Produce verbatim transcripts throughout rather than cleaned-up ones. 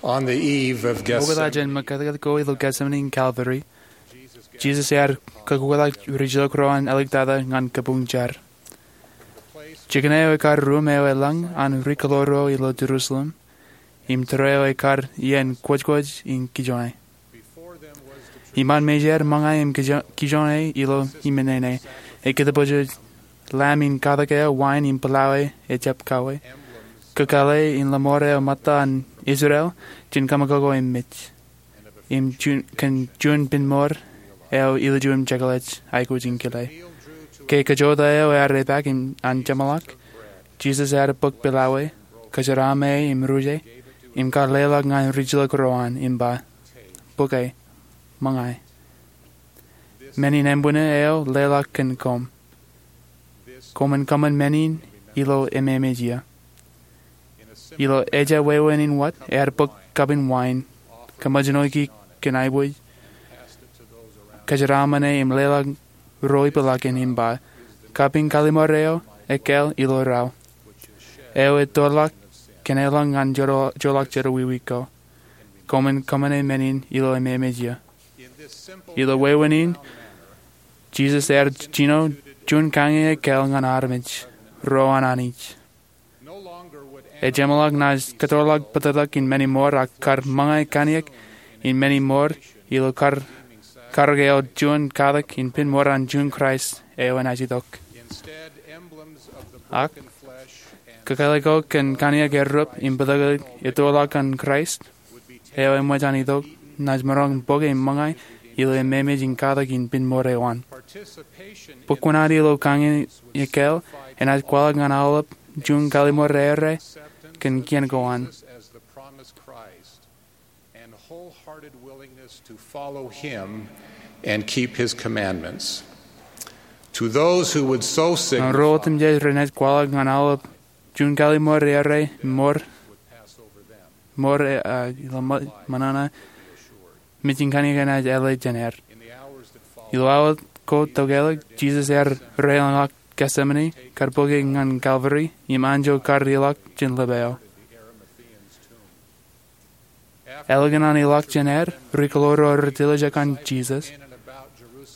On the eve of Mokta Gethsemane, jān ṃōkātkāt ko ilo Getsemane in Kalvari, Jisōs ear kōkkuḷọk rijilōk ro an āliktata ñan kabuñ jar. Jikin eo ekar ruum eo elōñ an ri-kōḷaḷ ro ilo Jerusalem, im tōre eo ekar iien kwōjkwōj in kijoñe. Iṃaan mejād ṃōñā im kijo-, kijoñe ilo iṃōn nene, ekōtpojoj lam in katak eo wain im pilawā ejjab kauwe. Kōkāāle in lọmọọr eo ṃōtta an Israel jān kōṃakoko im mej. Im juon, kōn juon penmour eo ilju im jekḷaj aikuj in kile. Ke kajjoota eo ear epaak im an jeṃḷọk, Jisōs ear bōk pilawā, kōjeraaṃṃan e im ruje, im kar leḷọk ñan rijilōk ro an im ba, "Bōke, ṃōñā." Men in embūṇe eo leḷọk kōn koṃ. Koṃwin kōṃṃan men in ilo ememej iiō. Ilo ejja wāween in wōt, ear bōk kapin wain, kōṃōjṇoiki kōn aiboojoj, kōjeraaṃṃan e im leḷọk ro ipḷakin im ba, "Kapin kalliṃur eo ekkāāl ilo rao, eo ettoḷọk kōn elōñ ñan joḷọk jerọwiwi ko. Koṃwin kōṃṃane men in ilo ememej iiō." Ilo wāween in, Jisōs ear jino juon kañin ekkāāl ñan armej ro an Anij. Ejeṃḷọk naaj kōttoḷọk bōtōktōk in men in mour ak kar ṃōñā kaniōk in men in mour ilo kar, karōk eo juon katak in penmour an juon Kraist eo enaaj itok. Ak kōkāāle ko kōn kaniōk errūp im bōtōktōk ettoḷọk an Kraist eo eṃōj an itok naaj maroñ bōke im ṃōñā ilo ememej in katak in penmour eo an. Bōk kuṇaad ilo kañin ekkāāl enaaj kwaḷọk ñan aolep juon kalliṃur eo rej kōn kien ko an. And wholehearted willingness to follow him and keep his commandments. To those who would sow sicknify, ñan ro otemjej renaaj kwaḷọk ñan aolep juon kalliṃur eo rej mour, mour, uh, ilo ṃōṇōṇō, mejin kaniōk enaaj āle jān er. Ilo awa ko tokālik, Jisōs ear reilọñḷọk Getsemane, kar bōke ñan Kalvari, im anjọ kar ilọk jān lōb eo. Ālikin an ilọk jān er, ri-kōḷaḷ ro rej tiljek ñan Jisōs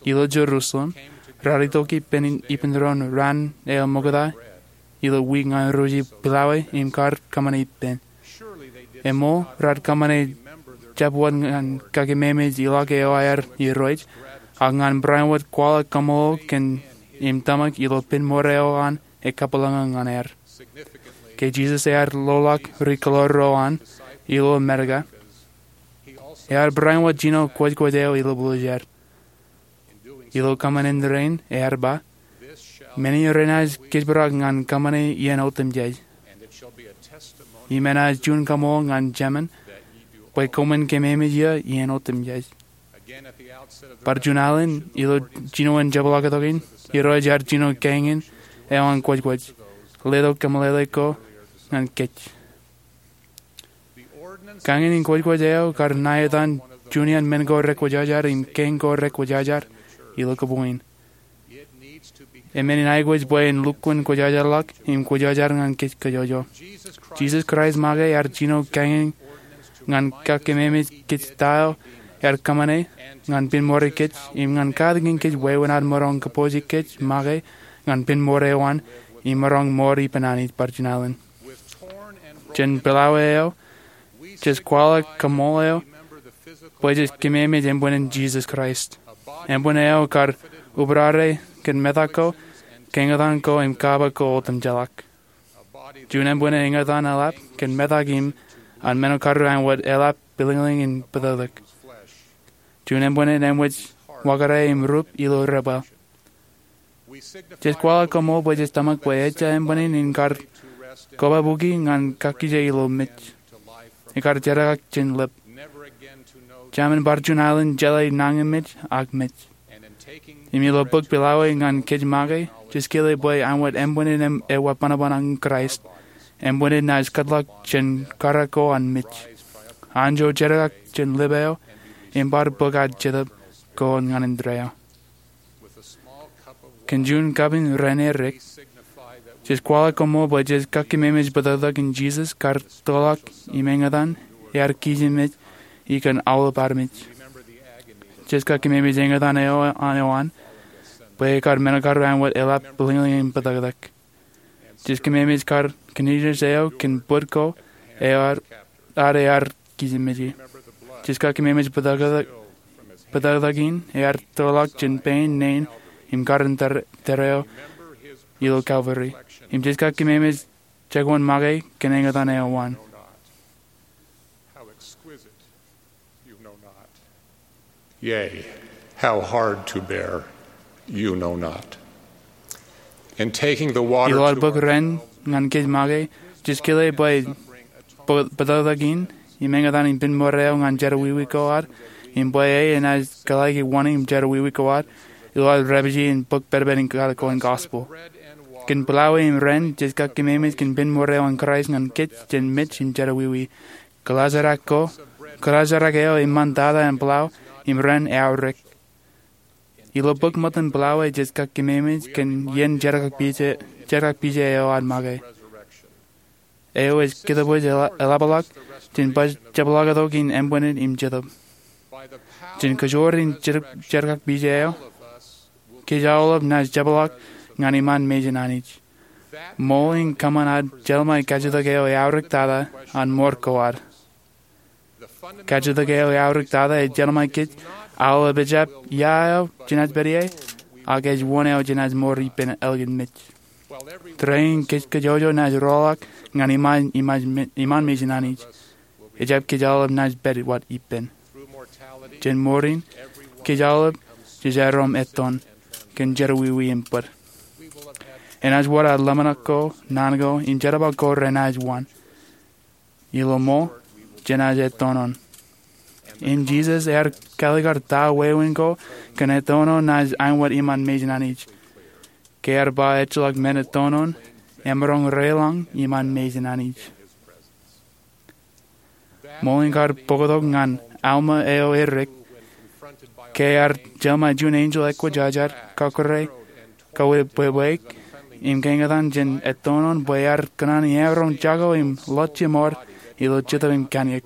ilo Jerusalem raar itok ippān ippān doon raan eo ṃokta ilo wiik ñan ruj, pilawā im kar kōṃṃane ippān. Eṃṃool, raar kōṃṃane jab wōt ñan kakeememej ilọk eo aer irooj, ak ñan barāinwōt kwaḷọk kaṃṃoolol kōn im tōmak ilo penmour eo an ekabwilōñlōñ ñan er. Ke Jisōs ear loḷọk ri-kōḷaḷ ro an ilo Amerika, ear barāinwōt jino kwōjkwōj eo ilublujer. Ilo kōṃṃan in rainin ear ba, "Men in renaaj kōjparok ñan kōṃṃane iien otemjej. Im enaaj juon kaṃṃoolol ñan Jemān bwe koṃwin keememej iiō iien otemjej." Bar juon alen ilo jinoin jepḷaaktok in, Irooj ear jino kañin eo an kwōjkwōj, letok kōmeḷeḷe ko ñan kōj. Kañin in kwōjkwōj eo kar ṇa etan juon iaan men ko rekwōjarjar im kain ko rekwōjarjar ilo kōpooj in. Eṃṃan in aikuj bwe en lukkuun kwōjarjarḷọk im kwōjarjar ñan kōj kōjọjọ. Jisōs Kraist make ear jino kañin ñan kakeememej kōj ta eo ear kōṃṃane ñan penmour kōj im ñan katakin kōj wāween ad maroñ kōpooj kōj make ñan penmour eo an im maroñ mour ippān Anij bar juon alen. Jān pilawā eo, jej kwaḷọk kaṃṃoolol eo bwe jej keememej embwinnin Jisōs Kraist, embwin eo kar ubrare kōn metak ko, kañōtan ko im kaba ko otemjeḷọk. Juon embwinnin eñtaan eḷap kōn metak im an men eo karreoṇ wōt eḷap pilōñlōñ in bōtōktōk. Juon embwinnin eṃōj wakare im rup ilo rebwāāl. Jej kwaḷọk kaṃṃoolol bwe jej tōmak bwe ejja embwinnin in kar kobabuki ñan kakkije ilo mej. Ekar jerkak jān lōb. Jemān bar juon alen jeḷā nañinmej ak mej. Im ilo bok pilawā ñan kōj make, jej kile bwe āinwōt embwinnin ewa bōnbōn an Kraist, embwinnin naaj kōtḷọk jān kōrā ko an mej. Anjọ jerkak jān lōb eo, im bar bōk ad Jetōb ko ñan indeeo. Kōn juon kapin raan erik, jej kwaḷọk kaṃṃoolol bwe jej kakeememej bōtōktōk in Jisōs kar toḷọk im eñtaan ear kijenmej ikōn aolep armej. Jej kak kememej eñtaan eo an, eo an, bwe ekar men karuo āinwōt eḷap bwilōñlōñ in bōtōktōk. Jej kememej kar kinijes eo kōn bōd ko eo ad, ad ear kijenmeje. Jej kak kememej bōtōktōk, bōtōktōk in ear toḷọk jān pein nein im kar in tōre, tōre eo ilo Kalvari. Im jej kak kememej jekwan make kōn eñtaan eo an. How exquisite, you know not. Yea, how hard to bear, you know not. In taking the water. Ilo ad bōk ren ñan kōj make, jej kile bwe bō-, bōtōktōk in im eñtaan in pen ṃōrro ñan jerọwiwi ko ad, im bwe e enaaj kōḷḷāiki wōṇāān im jerọwiwi ko ad ilo ad repije in bōk pedped in katak ko in gospel. Kōn plowway im ren, jej kak kememej kōn pen ṃōrro an Kraist ñan kōj jān mej im jerọwiwi. Kōḷaajrak ko, kōḷaajrak eo eṃṃan tata an plow im ren eaorōk. Ilo bōk ṃōttan plowway jej kak kememej kōn iien jerkakpije, jerkakpije eo ad make. Eo ej kōttōpoj eḷa-, eḷapḷọk jān baj jepḷaaktok in eṃṃan im jetōb. Jān kōjoor in jer-, jerkakpije eo, kōj aolep naaj jepḷaak ñan iṃaan mejān Anij. Ṃool in kōṃṃan ad jeḷmāe kajjitōk eo eaorōk tata an ṃoor ko ad. Kajjitōk eo eaorōk tata ej jeḷmāe kōj aolep ejjab ia eo jenaaj pād ie, ak ej wōn eo jenaaj mour ippān ālikin mej. Tōre in kōj kajjojo naaj roḷọk ñan iṃaan, iṃaan me-, iṃaan mejān Anij. Ejjab kōj aolep naaj pād wōt ippān. Jān mour in, kōj aolep jej erom ettoon kōn jerọwiwi im bōd. Enaaj wōr ad ḷōmṇak ko, naan ko, im jerbal ko renaaj waan. Ilo ṃool, jenaaj ettoon. Im Jisōs ear kaalikkar ta wāween ko kōn ettoon naaj āinwōt iṃaan mejān Anij. Ke ear ba ejjeḷọk men ettoon, emaroñ reḷọñ iṃaan mejān Anij. Ṃool in kar bōktok ñan Alma eo erik, ke ear jeḷmāe juon enjeḷ ekwōjarjar, kakure, kawebwebweik, im keñtaan jān ettoon bwe ear kōṇaan emaroñ jako im ḷọk jeṃaad ilo jetōb im kanniōk,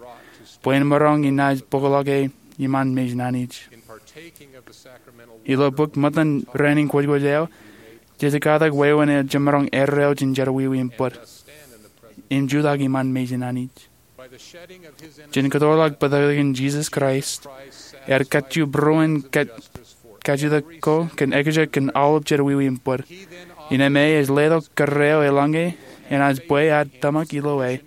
bwe en maroñ inaaj bōkḷọk e iṃaan mejān Anij. Ilo bōk ṃōttan ren in kwōjkwōj eo, jej katak wāween eo jemaroñ erreo jān jerọwiwi im bōd im jutak iṃaan mejān Anij. Jān kōtḷọk bōtōktōkin Jisōs Kraist, ear kajju būruon kaj-, kajjitōk ko kōn ekjek kōn aolep jerọwiwi im bōd. Innām e ej letok kōrā eo eḷaññe enaaj bwe ad tōmak ilo e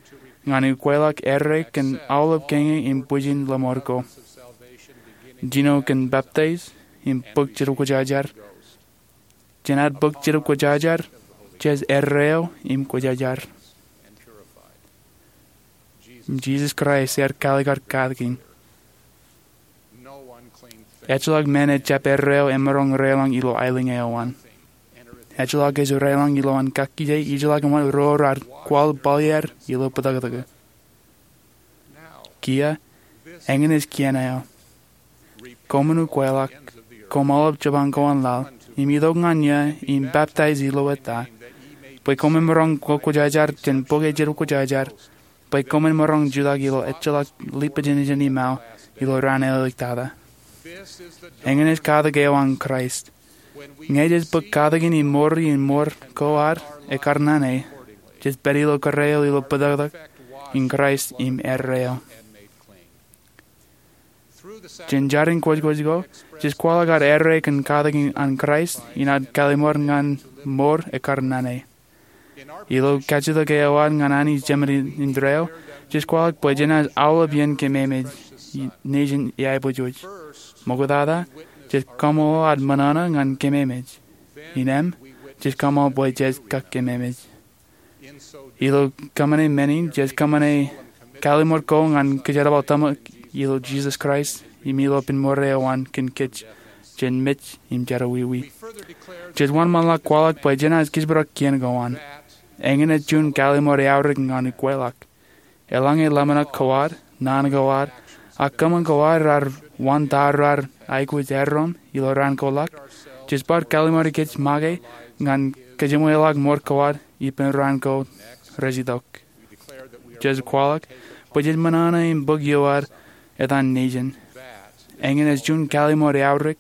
ñan ukweḷọk erreo kōn aolep kiiñ im bwijin lọmọọr ko. Jino kōn peptaij im bōk Jetōb Kwōjarjar. Jān ad bōk Jetōb Kwōjarjar, jej erreo im kwōjarjar. Jisōs Kraist ear kaalikkar katakin. Ejjeḷọk men ejjab erreo emaroñ reḷọñ ilo aelōñ eo an. Ejjeḷọk ej reḷọñ ilowaan kakkije ijeḷọk ṃōk ro raar kwaḷ bōlier ilo bōtōktōk. Kiiō, eñin ej kien eo. Koṃwin ukweḷọk, koṃ aolep jeban ko an laḷ, im itok ñan iiō, im peptaij ilo eta, bwe koṃwin maroñ kwōjarjar jān bok eo Jetōb Kwōjarjar, bwe koṃwin maroñ jutak ilo ejjeḷọk lipijinijin im aō ilo raan āliktata. Eñin ej katak eo an Kraist. Ñe jej bōk katakin im mour in ṃoor ko ad ekkar naan e, jej pād ilo kōrā eo ilo bōtōktōk in Kraist im erreo. Jān jar in kwōjkwōj ko, jej kwaḷọk ad erreo kōn katakin an Kraist in ad kallim̧ur ñan mour ekkar naan e. Ilo kajjitōk eo ad ñan Anij Jemān in, indeeo, jej kwaḷọk bwe jenaaj aolep iien kememej, i-, nejin iaiboojoj. Ṃoktata, jej kaṃṃoolol ad ṃōṇōṇō ñan kememej. Innām, jej kaṃṃoolol bwe jej kak kememej. Ilo kōṃṃane men in, jej kōṃṃane kallim̧ur ko ñan kōjerbal tōmak ilo Jisōs Kraist, im ilo pen ṃoor eo an kōn kōj, jān mej im jerọwiwi. Jej wōnṃaanḷọk kwaḷọk bwe jenaaj kōjparok kien ko an. Eñin ej juon kallim̧ur eaorōk ñan ukweḷọk. Eḷaññe ḷōmṇak ko ad, naan ko ad, ak kōṃṃan ko ad raar waan ta raar aikuj erom ilo raan ko ḷọk, jej bar kallim̧uri kōj make ñan kōjeṃweḷọk ṃoor ko ad ippān raan ko rej itok. Jej kwaḷọk Bwe jej ṃōṇōṇō im bōk iowaad etan nejin. Eñin ej juon kallim̧ur eaorōk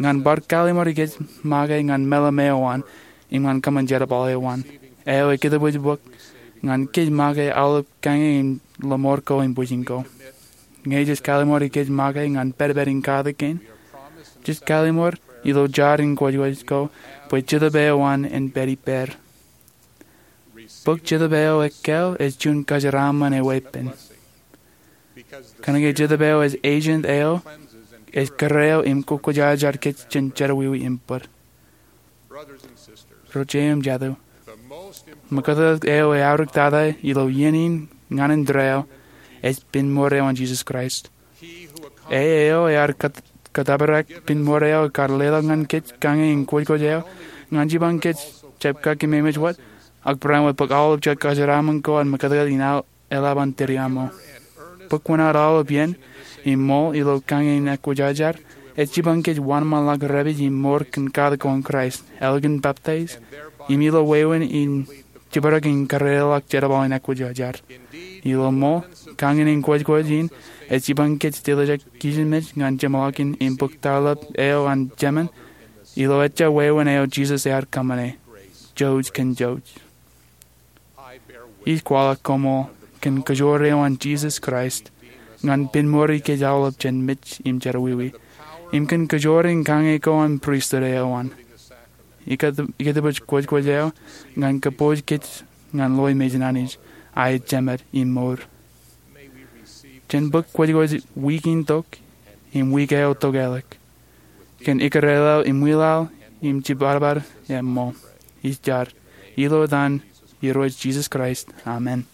ñan bar kallim̧ur ikōj make ñan meḷeḷe eo an im ñan kōṃṃan jerbal eo an. Eo ekōtōpōj bōk ñan kōj make aolep kañe in lọmọọr ko im bwijin ko. Ñe jej kallim̧ur ikōj make ñan pedped in katak kein, jej kallim̧ur ilo jaar in kwōjkwōj ko bwe Jetōb eo an en pād ippāer. Bōk Jetōb eo ekkāāl ej juon kōjeraaṃṃan eweeppān. Kōnke Jetōb eo ej agent eo ej kōrā eo im kwōjarjar kōj jān jerọwiwi im bōd. Ro jeiū im jatū, ṃōkōtāt eo eaorōk tata ilo iien in ñan indeeo ej pinmour eo an Jisōs Kraist. E eo ear kōtōprak pinmour eo kar leḷọk ñan kōj kañe in kwōjkwōj eo ñan jipañ kōj jab kakkōmemeej wōt, ak barāinwōt bōk aolep jet kōjeraaṃṃan ko an ṃōkōtāt in eḷap an tōre aṃo. Bōk wōṇāān aolep iien im ṃool ilo kañe in ekwōjarjar ej jipañ kōj wōnṃaanḷọk repād im mour kōn katak ko an Kraist, ālikin baptize, im ilo wāween in jibadek in kōrā ḷọk jerbal in ekwōjarjar. Ilo ṃool, kañe in kwōjkwōj in ej jipañ kōj tōl jet kijenmej ñan jeṃḷọkin im bōk taḷap eo an Jemān ilo ejja wāween eo Jisōs ear kōṃṃane. Jouj kōn jouj. Ij kwaḷọk koṃṃool kōn kōjoor eo an Jisōs Kraist ñan pinmour ikōj aolep jān mej im jerọwiwi, im kōn kōjoor in kañe ko an pristut eo an. Ikōtōpōj kwōjkwōj eo ñan kōpooj kōj ñan ḷoe mejān Anij, a ej jemed im mour. Jen bōk kwōjkwōj wiik in tok im wiik eo tokālik kōn ikkure laḷ im wilaḷ im jibadbad eṃṃool. Ij jar ilo etan Irooj Jisōs Kraist, amen.